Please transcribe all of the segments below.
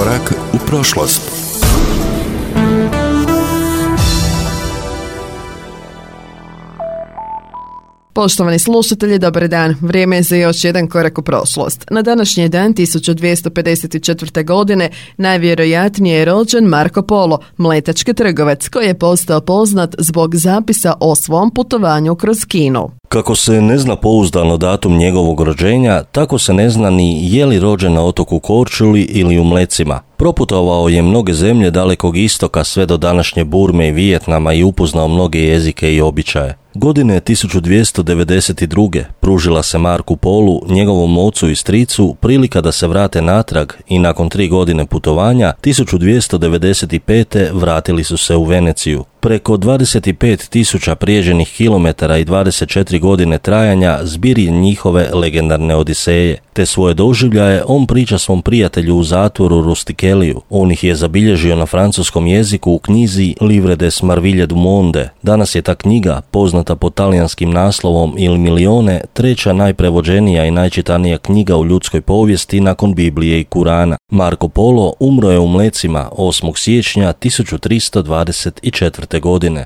Korak u prošlost. Poštovani slušatelji, dobar dan. Vrijeme je za još jedan korak u prošlost. Na današnji dan 1254. godine najvjerojatnije je rođen Marko Polo, mletački trgovac koji je postao poznat zbog zapisa o svom putovanju kroz Kinu. Kako se ne zna pouzdano datum njegovog rođenja, tako se ne zna ni je li rođen na otoku Korčuli ili u Mlecima. Proputovao je mnoge zemlje Dalekog istoka sve do današnje Burme i Vijetnama i upoznao mnoge jezike i običaje. Godine 1292. pružila se Marku Polu, njegovom ocu i stricu, prilika da se vrate natrag i nakon 3 godine putovanja 1295. vratili su se u Veneciju. Preko 25.000 prijeđenih kilometara i 24 godine trajanja zbir je njihove legendarne odiseje. Te svoje doživljaje on priča svom prijatelju u zatvoru Rustikeliju. On ih je zabilježio na francuskom jeziku u knjizi Livre des Marvilles du Monde. Danas je ta knjiga, poznata pod talijanskim naslovom Il Milione, treća najprevođenija i najčitanija knjiga u ljudskoj povijesti nakon Biblije i Kurana. Marko Polo umro je u Mlecima 8. siječnja 1324. godine.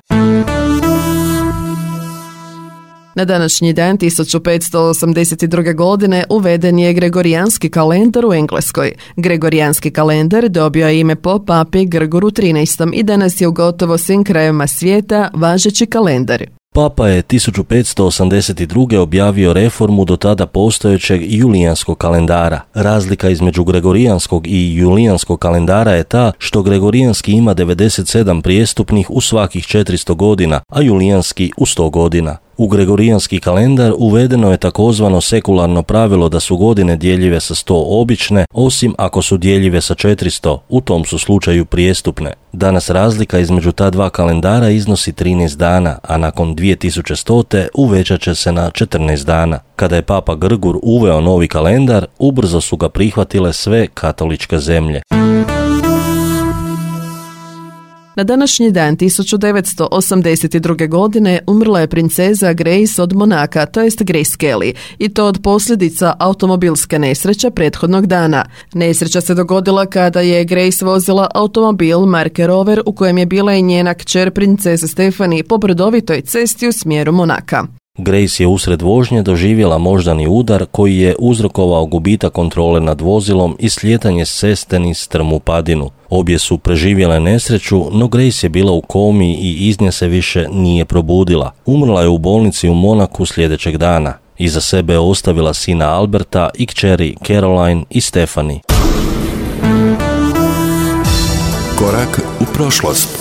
Na današnji dan 1582. godine uveden je Gregorijanski kalendar u Engleskoj. Gregorijanski kalendar dobio je ime po papi Grgoru XIII i danas je u gotovo svim krajevima svijeta važeći kalendar. Papa je 1582. objavio reformu do tada postojećeg julijanskog kalendara. Razlika između gregorijanskog i julijanskog kalendara je ta što gregorijanski ima 97 prijestupnih u svakih 400 godina, a julijanski u 100 godina. U gregorijanski kalendar uvedeno je takozvano sekularno pravilo da su godine djeljive sa 100 obične, osim ako su djeljive sa 400, u tom su slučaju prijestupne. Danas razlika između ta dva kalendara iznosi 13 dana, a nakon 2100. uvećat će se na 14 dana. Kada je Papa Grgur uveo novi kalendar, ubrzo su ga prihvatile sve katoličke zemlje. Na današnji dan 1982. godine umrla je princeza Grace od Monaka, to jest Grace Kelly, i to od posljedica automobilske nesreće prethodnog dana. Nesreća se dogodila kada je Grace vozila automobil marke Rover u kojem je bila i njena kćer princeza Stephanie po brdovitoj cesti u smjeru Monaka. Grace je usred vožnje doživjela moždani udar koji je uzrokovao gubitak kontrole nad vozilom i slijetanje s ceste niz strmu padinu. Obje su preživjele nesreću, no Grace je bila u komi i iz nje se više nije probudila. Umrla je u bolnici u Monaku sljedećeg dana. Iza sebe je ostavila sina Alberta i kćeri Caroline i Stephanie. Korak u prošlost.